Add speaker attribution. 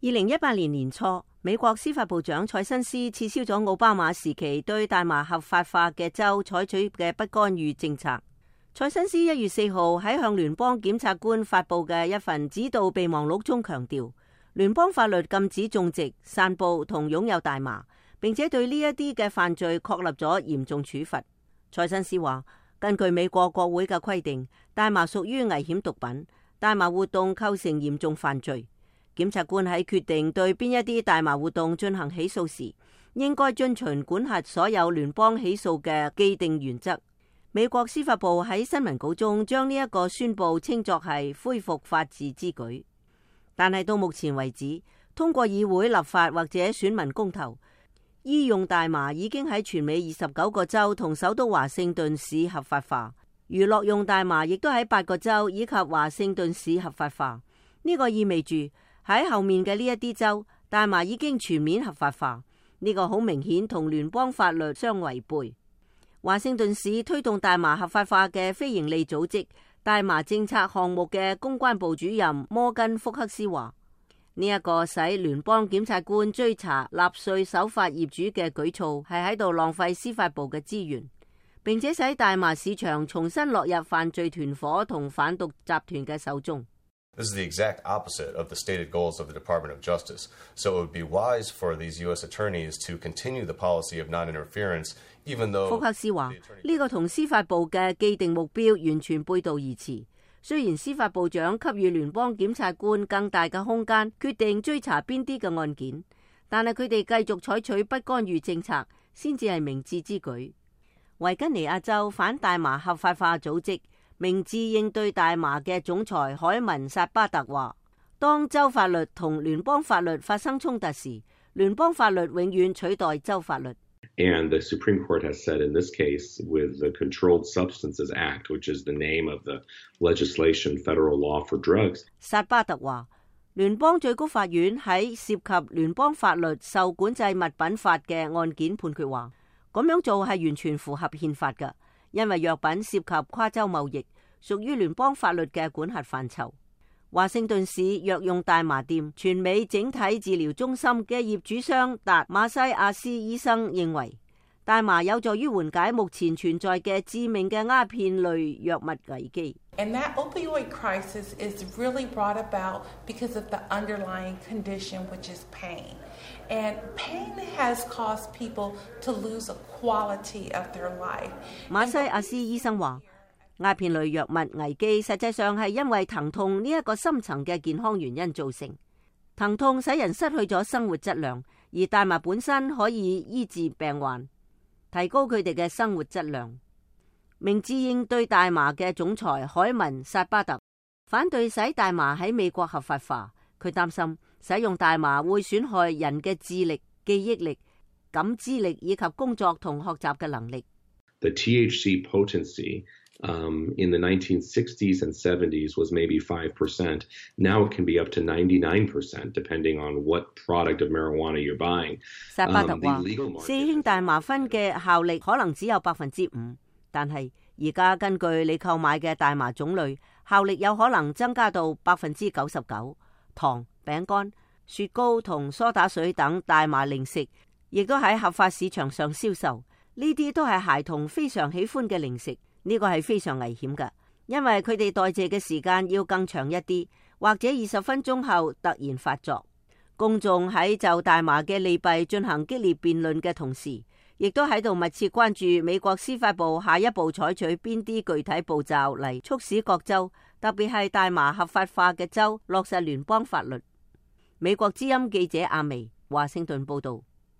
Speaker 1: 2018年年初，美國司法部長蔡新斯撤銷咗奧巴馬時期對大麻合法化嘅州採取嘅不干預政策。蔡新斯1月4號喺向聯邦檢察官發布嘅一份指導備忘錄中強調，聯邦法律禁止種植、散布同擁有大麻，並且對呢一啲嘅犯罪確立咗嚴重處罰。蔡新斯話，根據美國國會嘅規定，大麻屬於危險毒品，大麻活動構成嚴重犯罪。檢察官喺決定對邊一啲大麻活動進行起訴時，應該遵循管轄所有聯邦起訴嘅既定原則。美國司法部喺新聞稿中將呢一個宣佈稱作係恢復法治之舉，但係到目前為止，通過議會立法或者選民公投，醫用大麻已經喺全美29個州同首都華盛頓市合法化，娛樂用大麻亦都喺8個州以及華盛頓市合法化。呢個意味住喺後面嘅呢一啲州，大麻已經全面合法化。呢個好明顯同聯邦法律相違背。華盛頓市推動大麻合法化嘅非營利組織大麻政策項目嘅公關部主任摩根福克斯話，呢一個使聯邦檢察官追查納稅守法業主嘅舉措係喺度浪費司法部嘅資源，並且使大麻市場重新落入犯罪團伙同販毒集團嘅手中。
Speaker 2: This is the exact opposite of the stated goals of the Department of Justice. So it would be wise for these U.S. attorneys to continue the policy of non-interference, even though...
Speaker 1: 福克斯話，呢個同司法部嘅既定目標完全背道而馳。雖然司法部長給予聯邦檢察官更大嘅空間，決定追查邊啲嘅案件，但係佢哋繼續採取不干預政策，先至係明智之舉。維吉尼亞州反大麻合法化組織明智應對大麻嘅總裁海文薩巴特話，當州法律同聯邦法律發生衝突時，聯邦法律永遠取代州法律。
Speaker 3: And the Supreme Court has said in this case, with the Controlled Substances Act, which is the name of the legislation, federal law for drugs.
Speaker 1: 薩巴特話，聯邦最高法院喺涉及聯邦法律受管制物品法嘅案件判決話，咁樣做係完全符合憲法嘅，因為藥品涉及跨州貿易，屬於聯邦法律嘅管轄範疇。華盛頓市藥用大麻店全美整體治療中心嘅業主商達馬西亞斯醫生認為，大麻有助於緩解目前存在嘅致命嘅鴉片類藥物危機。
Speaker 4: And that opioid crisis is really brought about because of the underlying condition, which is pain. And pain has caused people to lose a quality of their life.
Speaker 1: 馬西亞斯醫生話，鴉片類藥物危機實際上係因為疼痛呢一個深層嘅健康原因造成。疼痛使人失去咗生活質量，而大麻本身可以醫治病患，提高佢哋嘅生活質量。明智應對大麻嘅總裁海文薩巴特反對使大麻喺美國合法化，佢擔心使用大麻會損害人嘅智力、記憶力、感知力以及工作同學習嘅能力。
Speaker 3: The THC potency in the 1960s and 70s was maybe 5%. Now it can be up to 99%, depending on what product of marijuana you're buying.
Speaker 1: 薩巴特話，四氫大麻酚嘅效力可能只有5%，但係而家根據你購買嘅大麻種類，效力有可能增加到99%。糖、餅乾、雪糕同梳打水等大麻零食，亦都喺合法市場上銷售。呢啲都係孩童非常喜歡嘅零食。呢個係非常危險嘅，因為佢哋代謝嘅時間要更長一啲，或者20分鐘後突然發作。公眾喺就大麻嘅利弊進行激烈辯論嘅同時，亦都喺度密切關注美國司法部下一步採取邊啲具體步驟嚟促使各州，特別係大麻合法化嘅州落實聯邦法律。美國之音記者阿薇，華盛頓報道。